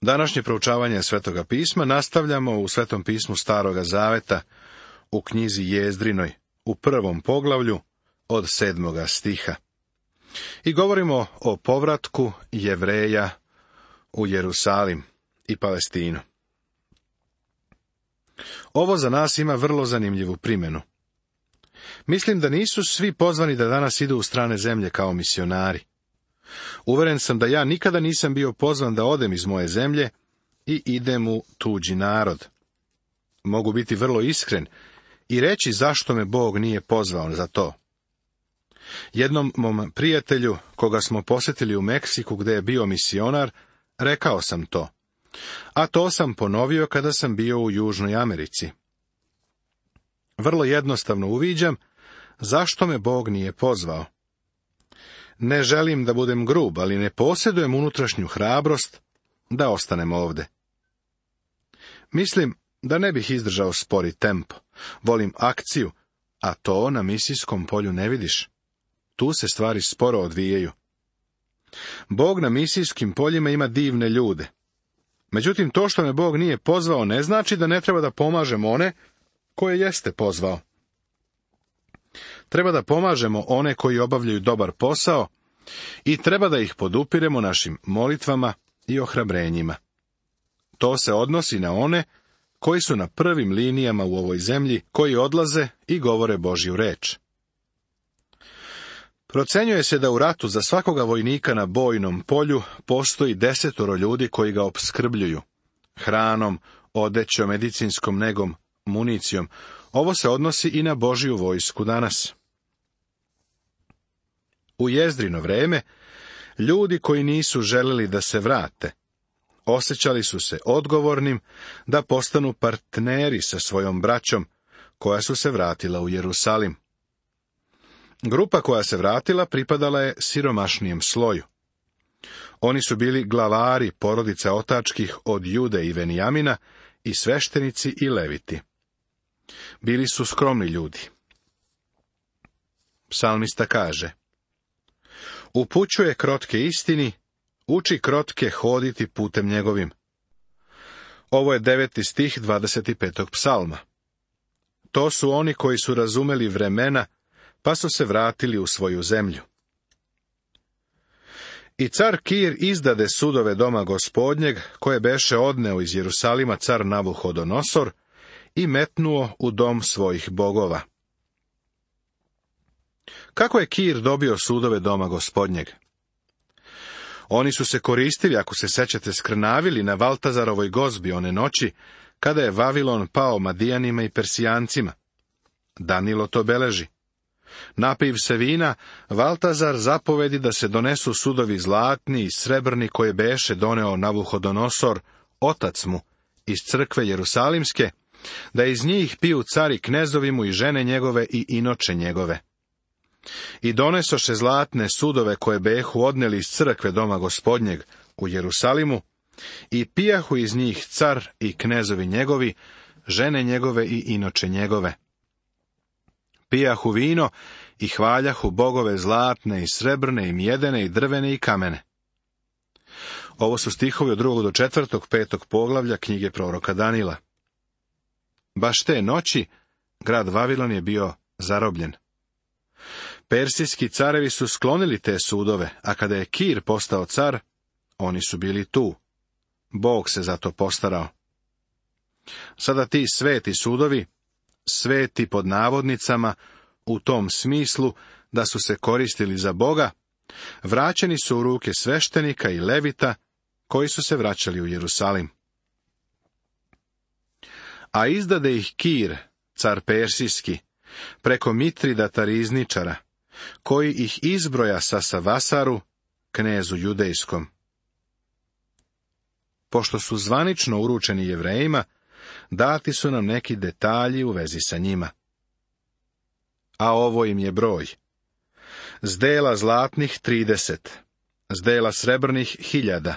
Današnje proučavanje Svetoga pisma nastavljamo u Svetom pismu Staroga zaveta, u knjizi Jezdrinoj, u 1. poglavlju, od 7. stiha. I govorimo o povratku Jevreja u Jerusalim i Palestinu. Ovo za nas ima vrlo zanimljivu primjenu. Mislim da nisu svi pozvani da danas idu u strane zemlje kao misionari. Uveren sam da ja nikada nisam bio pozvan da odem iz moje zemlje i idem u tuđi narod. Mogu biti vrlo iskren i reći zašto me Bog nije pozvao za to. Jednom mom prijatelju, koga smo posjetili u Meksiku gdje je bio misionar, rekao sam to. A to sam ponovio kada sam bio u Južnoj Americi. Vrlo jednostavno uviđam zašto me Bog nije pozvao. Ne želim da budem grub, ali ne posjedujem unutrašnju hrabrost da ostanem ovde. Mislim da ne bih izdržao spori tempo. Volim akciju, a to na misijskom polju ne vidiš. Tu se stvari sporo odvijaju. Bog na misijskim poljima ima divne ljude. Međutim, to što me Bog nije pozvao ne znači da ne treba da pomažem one koje jeste pozvao. Treba da pomažemo one koji obavljaju dobar posao i treba da ih podupiremo našim molitvama i ohrabrenjima. To se odnosi na one koji su na prvim linijama u ovoj zemlji, koji odlaze i govore Božju reč. Procenjuje se da u ratu za svakoga vojnika na bojnom polju postoji 10 ljudi koji ga opskrbljuju hranom, odećom, medicinskom negom, municijom. Ovo se odnosi i na Božju vojsku danas. U Jezdrino vreme, ljudi koji nisu želeli da se vrate, osjećali su se odgovornim da postanu partneri sa svojom braćom, koja su se vratila u Jerusalim. Grupa koja se vratila pripadala je siromašnijem sloju. Oni su bili glavari porodica otačkih od Jude i Venijamina i sveštenici i leviti. Bili su skromni ljudi. Psalmista kaže: upućuje krotke istini, uči krotke hoditi putem njegovim. Ovo je 9. stih 25. psalma. To su oni koji su razumeli vremena, pa su se vratili u svoju zemlju. I car Kir izdade sudove doma Gospodnjeg, koje beše odneo iz Jerusalima car Navuhodonosor, i metnuo u dom svojih bogova. Kako je Kir dobio sudove doma Gospodnjeg? Oni su se koristili, ako se sećate, skrnavili na Valtazarovoj gozbi one noći, kada je Vavilon pao Madijanima i Persijancima. Danilo to beleži. Napiv se vina, Valtazar zapovedi da se donesu sudovi zlatni i srebrni koje beše doneo Navuhodonosor, otac mu, iz crkve Jerusalimske, da iz njih piju cari knezovi mu i žene njegove i inoče njegove. I donesoše zlatne sudove koje behu odneli iz crkve doma Gospodnjeg u Jerusalimu, i pijahu iz njih car i knezovi njegovi, žene njegove i inoče njegove. Pijahu vino i hvaljahu bogove zlatne i srebrne i mjedene i drvene i kamene. Ovo su stihovi od 2. do 4. 5. poglavlja knjige proroka Danila. Baš te noći grad Vavilon je bio zarobljen. Persijski carevi su sklonili te sudove, a kada je Kir postao car, oni su bili tu. Bog se za to postarao. Sada ti sveti sudovi, sveti pod navodnicama, u tom smislu da su se koristili za Boga, vraćeni su u ruke sveštenika i levita, koji su se vraćali u Jerusalim. A izdade ih Kir, car persijski, preko Mitridata rizničara, koji ih izbroja sa Savasaru, knezu judejskom. Pošto su zvanično uručeni Jevrejima, dati su nam neki detalji u vezi sa njima. A ovo im je broj: zdela zlatnih 30, zdela srebrnih 1000,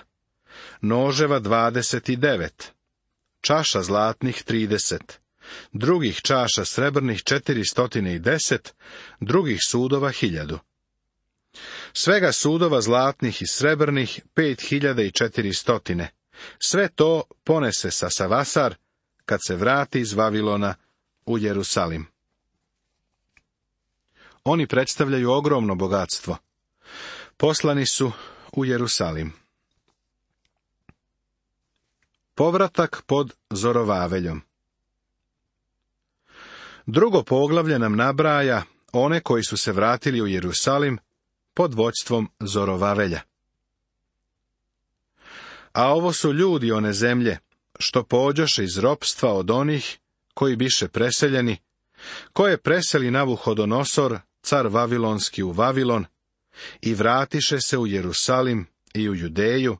noževa 29, čaša zlatnih 30, drugih čaša srebrnih 410, drugih sudova 1000. Svega sudova zlatnih i srebrnih 5400, Sve to ponese sa Savasar kad se vrati iz Vavilona u Jerusalim. Oni predstavljaju ogromno bogatstvo. Poslani su u Jerusalim. Povratak pod Zorovaveljom. Drugo poglavlje nam nabraja one koji su se vratili u Jerusalim pod vođstvom Zorovavelja. A ovo su ljudi one zemlje, što pođoše iz ropstva od onih koji biše preseljeni, koje preseli Navuhodonosor, car Vavilonski u Vavilon, i vratiše se u Jerusalim i u Judeju,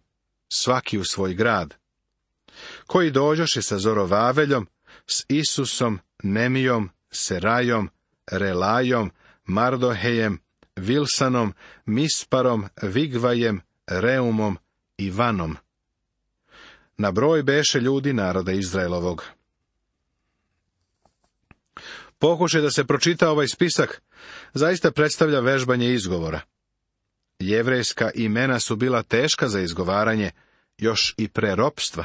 svaki u svoj grad, koji dođoše sa Zorovaveljom, s Isusom, Nemijom, Serajom, Relajom, Mardohejem, Vilsanom, Misparom, Vigvajem, Reumom i Vanom. Na broj beše ljudi naroda Izraelovog. Pokušaj da se pročita ovaj spisak zaista predstavlja vežbanje izgovora. Jevrejska imena su bila teška za izgovaranje, još i pre ropstva.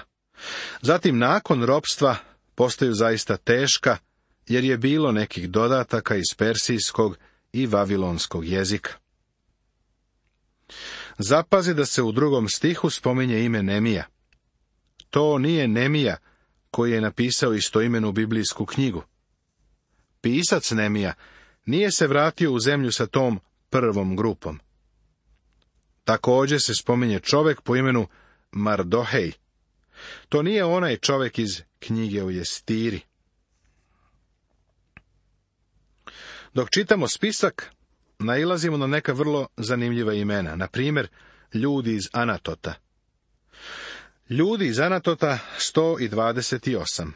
Zatim, nakon ropstva, postaju zaista teška, jer je bilo nekih dodataka iz persijskog i vavilonskog jezika. Zapazi da se u 2. stihu spominje ime Nemija. To nije Nemija koji je napisao istoimenu biblijsku knjigu. Pisac Nemija nije se vratio u zemlju sa tom prvom grupom. Također se spominje čovjek po imenu Mardohej. To nije onaj čovjek iz knjige o Jestiri. Dok čitamo spisak, nailazimo na neka vrlo zanimljiva imena. Na primjer, ljudi iz Anatota. Ljudi iz Anatota 128.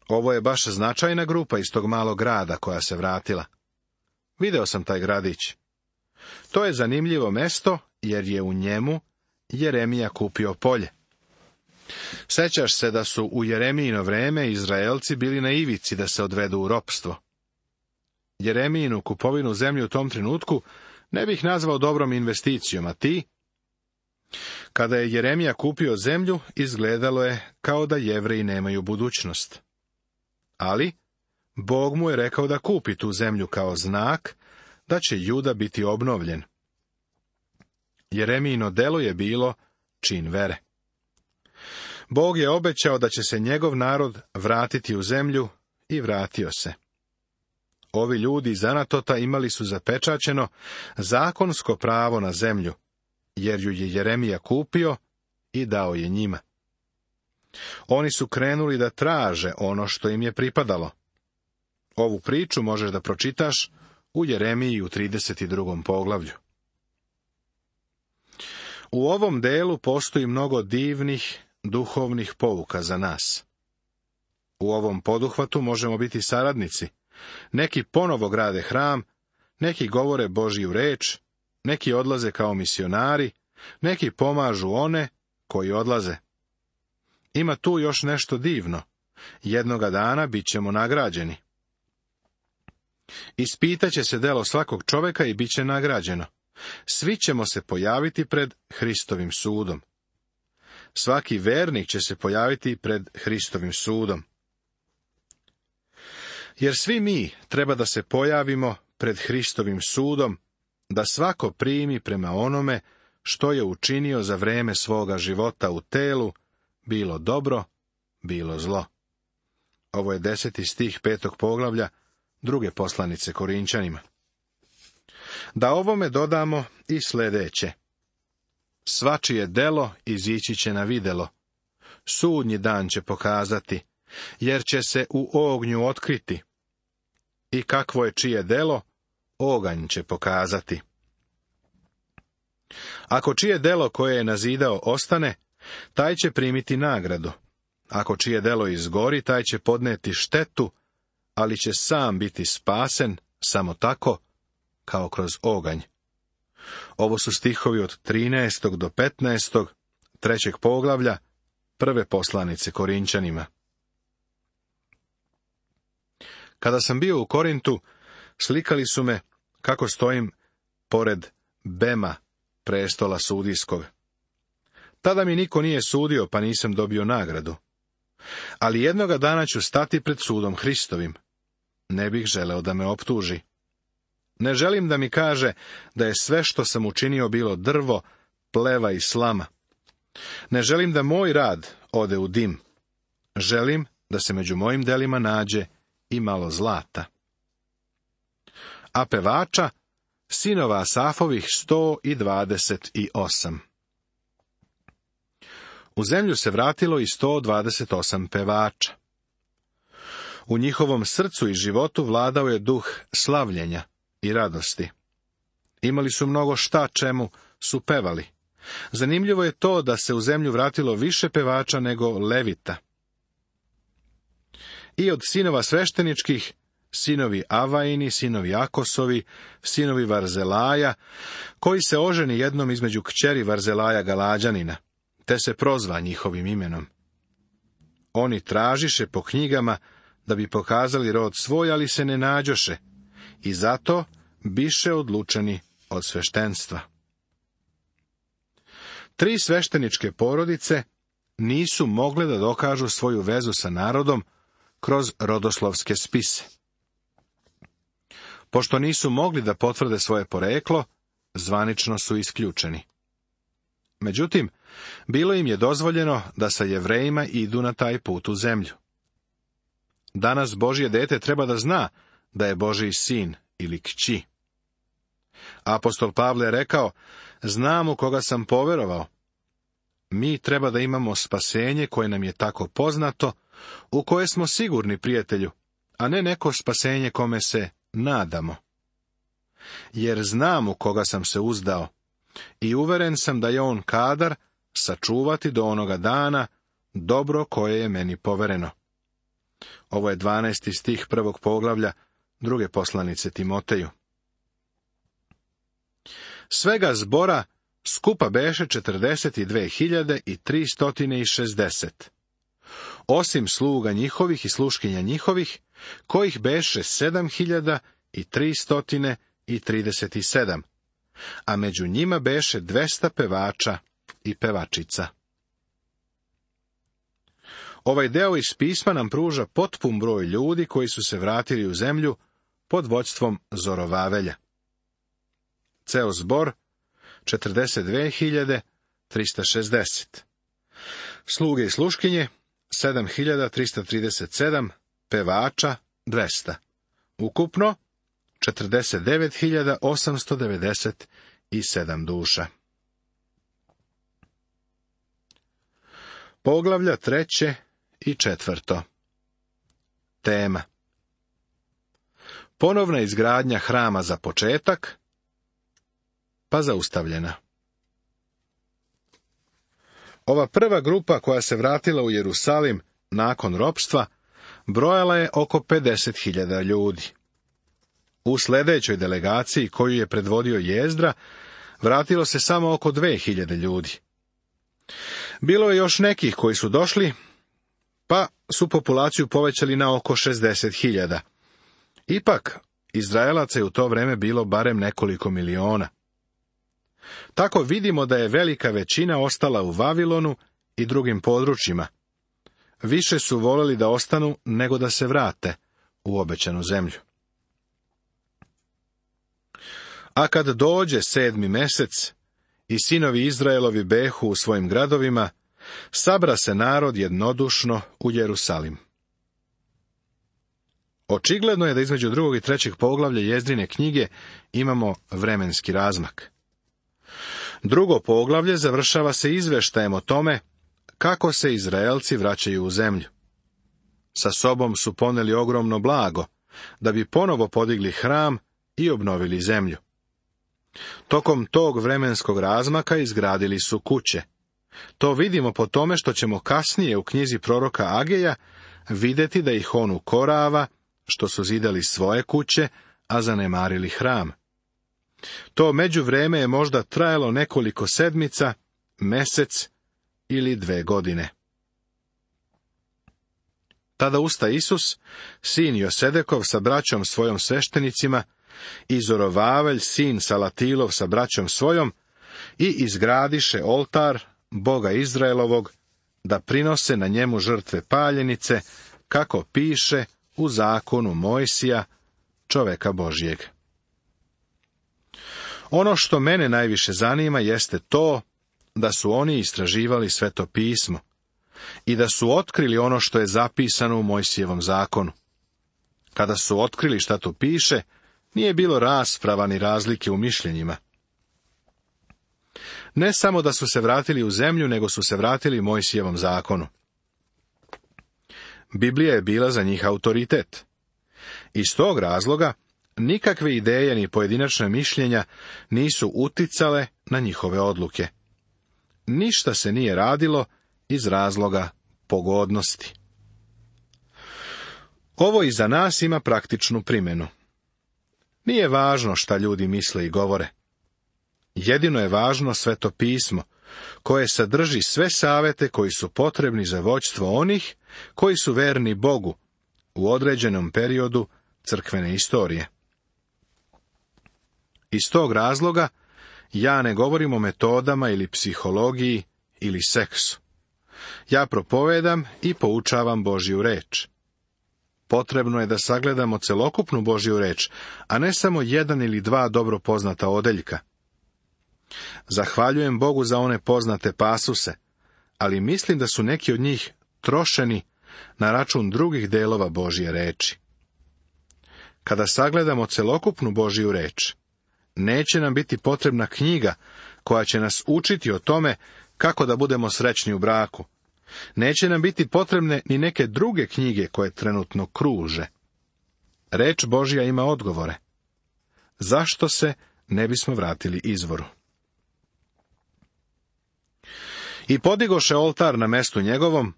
Ovo je baš značajna grupa iz tog malog grada koja se vratila. Video sam taj gradić. To je zanimljivo mesto, jer je u njemu Jeremija kupio polje. Sećaš se da su u Jeremijino vreme Izraelci bili na ivici da se odvedu u ropstvo. Jeremijinu kupovinu zemlje u tom trenutku ne bih nazvao dobrom investicijom, a ti? Kada je Jeremija kupio zemlju, izgledalo je kao da Jevreji nemaju budućnost. Ali, Bog mu je rekao da kupi tu zemlju kao znak da će Juda biti obnovljen. Jeremijino delo je bilo čin vere. Bog je obećao da će se njegov narod vratiti u zemlju i vratio se. Ovi ljudi iz Anatota imali su zapečaćeno zakonsko pravo na zemlju, jer ju je Jeremija kupio i dao je njima. Oni su krenuli da traže ono što im je pripadalo. Ovu priču možeš da pročitaš u Jeremiji u 32. poglavlju. U ovom delu postoji mnogo divnih, duhovnih pouka za nas. U ovom poduhvatu možemo biti saradnici. Neki ponovo grade hram, neki govore Božju reč, neki odlaze kao misionari, neki pomažu one koji odlaze. Ima tu još nešto divno. Jednoga dana bit ćemo nagrađeni. Ispitaće se delo svakog čovjeka i bit će nagrađeno. Svi ćemo se pojaviti pred Hristovim sudom. Svaki vernik će se pojaviti pred Hristovim sudom. Jer svi mi treba da se pojavimo pred Hristovim sudom, da svako primi prema onome što je učinio za vreme svoga života u telu, bilo dobro, bilo zlo. Ovo je 10. stih 5. poglavlja 2. poslanice Korinčanima. Da ovome dodamo i sljedeće. Svačije delo izići će na videlo. Sudnji dan će pokazati, jer će se u ognju otkriti. I kakvo je čije delo, oganj će pokazati. Ako čije delo koje je nazidao ostane, taj će primiti nagradu. Ako čije delo izgori, taj će podneti štetu, ali će sam biti spasen samo tako, kao kroz oganj. Ovo su stihovi od 13. do 15. 3. poglavlja 1. poslanice Korinčanima. Kada sam bio u Korintu, slikali su me kako stojim pored Bema, prestola sudijskog. Tada mi niko nije sudio, pa nisam dobio nagradu. Ali jednoga dana ću stati pred sudom Hristovim. Ne bih želeo da me optuži. Ne želim da mi kaže da je sve što sam učinio bilo drvo, pleva i slama. Ne želim da moj rad ode u dim. Želim da se među mojim delima nađe i malo zlata. A pevača, sinova Asafovih 128. U zemlju se vratilo i 128 pevača. U njihovom srcu i životu vladao je duh slavljenja i radosti. Imali su mnogo šta čemu su pevali. Zanimljivo je to da se u zemlju vratilo više pevača nego levita. I od sinova svešteničkih, sinovi Avaini, sinovi Akosovi, sinovi Varzelaja, koji se oženi jednom između kćeri Varzelaja Galađanina, te se prozva njihovim imenom. Oni tražiše po knjigama da bi pokazali rod svoj, ali se ne nađoše, i zato biše odlučeni od sveštenstva. 3 svešteničke porodice nisu mogle da dokažu svoju vezu sa narodom kroz rodoslovske spise. Pošto nisu mogli da potvrde svoje poreklo, zvanično su isključeni. Međutim, bilo im je dozvoljeno da sa Jevrejima idu na taj put u zemlju. Danas Božje dete treba da zna da je Božji sin ili kći. Apostol Pavle je rekao, znam u koga sam poverovao. Mi treba da imamo spasenje koje nam je tako poznato, u koje smo sigurni, prijatelju, a ne neko spasenje kome se nadamo. Jer znam u koga sam se uzdao i uveren sam da je on kadar sačuvati do onoga dana dobro koje je meni povereno. Ovo je 12. stih 1. poglavlja 2. poslanice Timoteju. Svega zbora skupa beše 42.360. Osim sluga njihovih i sluškinja njihovih, kojih beše 7.337, a među njima beše 200 pevača i pevačica. Ovaj deo iz pisma nam pruža potpun broj ljudi koji su se vratili u zemlju pod vođstvom Zorovavelja. Ceo zbor 42.360. Sluge i sluškinje 7.337, pevača 200. Ukupno 49.897 duša. Poglavlja 3. i 4. Tema: ponovna izgradnja hrama za početak, pa zaustavljena. Ova prva grupa koja se vratila u Jerusalim nakon ropstva brojala je oko 50.000 ljudi. U sljedećoj delegaciji koju je predvodio Jezdra vratilo se samo oko 2.000 ljudi. Bilo je još nekih koji su došli, pa su populaciju povećali na oko 60.000. Ipak, Izraelaca je u to vreme bilo barem nekoliko miliona. Tako vidimo da je velika većina ostala u Vavilonu i drugim područjima. Više su voleli da ostanu nego da se vrate u obećanu zemlju. A kad dođe 7. mesec i sinovi Izraelovi behu u svojim gradovima, sabra se narod jednodušno u Jerusalim. Očigledno je da između 2. i 3. poglavlja Jezdrine knjige imamo vremenski razmak. 2. poglavlje završava se izveštajem o tome kako se Izraelci vraćaju u zemlju. Sa sobom su poneli ogromno blago, da bi ponovo podigli hram i obnovili zemlju. Tokom tog vremenskog razmaka izgradili su kuće. To vidimo po tome što ćemo kasnije u knjizi proroka Ageja vidjeti da ih on ukorava, što su zidali svoje kuće, a zanemarili hram. To međuvreme je možda trajalo nekoliko sedmica, mesec ili 2 godine. Tada usta Isus, sin Josedekov sa braćom svojom sveštenicima, i Zorovavelj, sin Salatilov sa braćom svojom, i izgradiše oltar Boga Izraelovog, da prinose na njemu žrtve paljenice, kako piše u zakonu Mojsija, čoveka Božjeg. Ono što mene najviše zanima jeste to da su oni istraživali Sveto pismo i da su otkrili ono što je zapisano u Mojsijevom zakonu. Kada su otkrili šta tu piše, nije bilo rasprava ni razlike u mišljenjima. Ne samo da su se vratili u zemlju, nego su se vratili Mojsijevom zakonu. Biblija je bila za njih autoritet. Iz tog razloga nikakve ideje ni pojedinačna mišljenja nisu uticale na njihove odluke. Ništa se nije radilo iz razloga pogodnosti. Ovo i za nas ima praktičnu primjenu. Nije važno šta ljudi misle i govore. Jedino je važno Sveto pismo, koje sadrži sve savete koji su potrebni za vođstvo onih koji su verni Bogu u određenom periodu crkvene istorije. Iz tog razloga ja ne govorim o metodama ili psihologiji ili seksu. Ja propovedam i poučavam Božju reč. Potrebno je da sagledamo celokupnu Božju reč, a ne samo jedan ili dva dobro poznata odeljka. Zahvaljujem Bogu za one poznate pasuse, ali mislim da su neki od njih trošeni na račun drugih delova Božje reči. Kada sagledamo celokupnu Božju reč, neće nam biti potrebna knjiga koja će nas učiti o tome kako da budemo srećni u braku. Neće nam biti potrebne ni neke druge knjige koje trenutno kruže. Reč Božja ima odgovore. Zašto se ne bismo vratili izvoru? I podigoše oltar na mestu njegovom,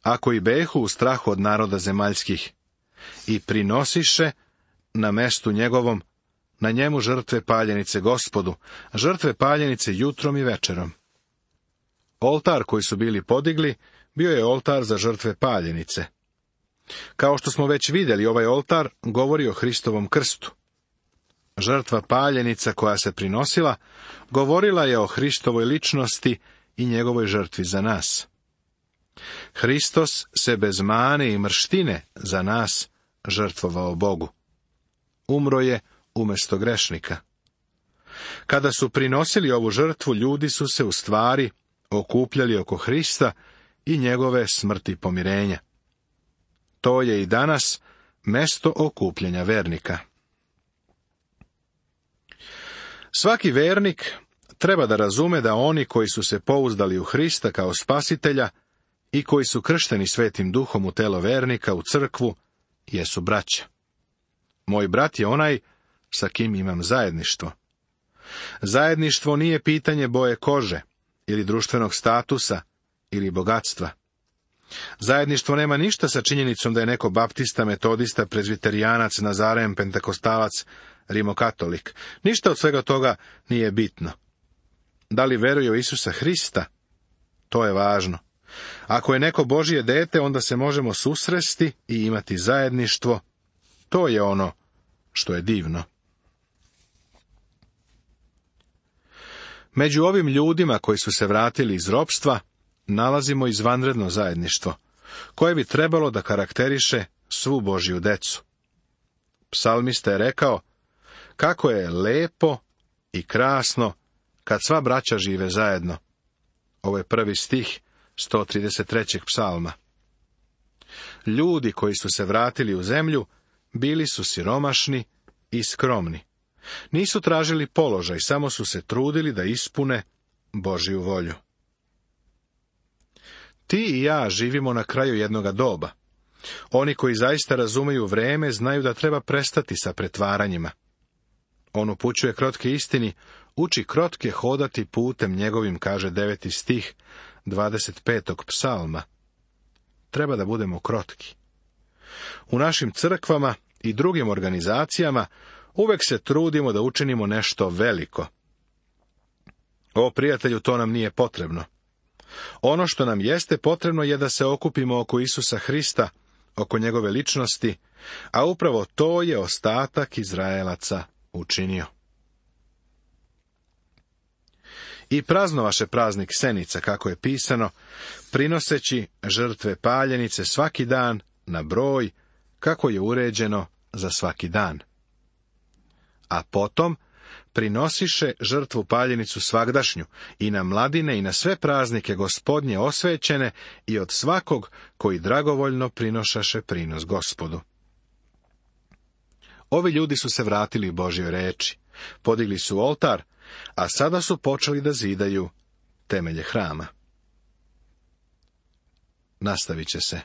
ako i behu u strahu od naroda zemaljskih, i prinosiše na mestu njegovom, na njemu žrtve paljenice Gospodu, žrtve paljenice jutrom i večerom. Oltar koji su bili podigli, bio je oltar za žrtve paljenice. Kao što smo već vidjeli, ovaj oltar govori o Hristovom krstu. Žrtva paljenica koja se prinosila, govorila je o Hristovoj ličnosti i njegovoj žrtvi za nas. Hristos se bez mane i mrštine za nas žrtvovao Bogu. Umro je umjesto grešnika. Kada su prinosili ovu žrtvu, ljudi su se u stvari okupljali oko Hrista i njegove smrti pomirenja. To je i danas mesto okupljanja vernika. Svaki vernik treba da razume da oni koji su se pouzdali u Hrista kao spasitelja i koji su kršteni Svetim Duhom u telo vernika, u crkvu, jesu braća. Moj brat je onaj sa kim imam zajedništvo. Zajedništvo nije pitanje boje kože, ili društvenog statusa, ili bogatstva. Zajedništvo nema ništa sa činjenicom da je neko baptista, metodista, prezviterijanac, nazaren, pentekostalac, rimokatolik. Ništa od svega toga nije bitno. Da li veruje u Isusa Hrista? To je važno. Ako je neko Božje dete, onda se možemo susresti i imati zajedništvo. To je ono što je divno. Među ovim ljudima koji su se vratili iz ropstva, nalazimo izvanredno zajedništvo, koje bi trebalo da karakteriše svu Božju decu. Psalmista je rekao, kako je lepo i krasno kad sva braća žive zajedno. Ovo je 1. stih 133. psalma. Ljudi koji su se vratili u zemlju, bili su siromašni i skromni. Nisu tražili položaj, samo su se trudili da ispune Božju volju. Ti i ja živimo na kraju jednoga doba. Oni koji zaista razumeju vreme, znaju da treba prestati sa pretvaranjima. On upućuje krotke istini, uči krotke hodati putem njegovim, kaže 9. stih 25. psalma. Treba da budemo krotki. U našim crkvama i drugim organizacijama uvek se trudimo da učinimo nešto veliko. O, prijatelju, to nam nije potrebno. Ono što nam jeste potrebno je da se okupimo oko Isusa Hrista, oko njegove ličnosti, a upravo to je ostatak Izraelaca učinio. I praznovaše praznik Senica, kako je pisano, prinoseći žrtve paljenice svaki dan na broj, kako je uređeno za svaki dan. A potom prinosiše žrtvu paljenicu svagdašnju i na mladine i na sve praznike Gospodnje osvećene i od svakog koji dragovoljno prinošaše prinos Gospodu. Ovi ljudi su se vratili Božjoj reči, podigli su oltar, a sada su počeli da zidaju temelje hrama. Nastavit će se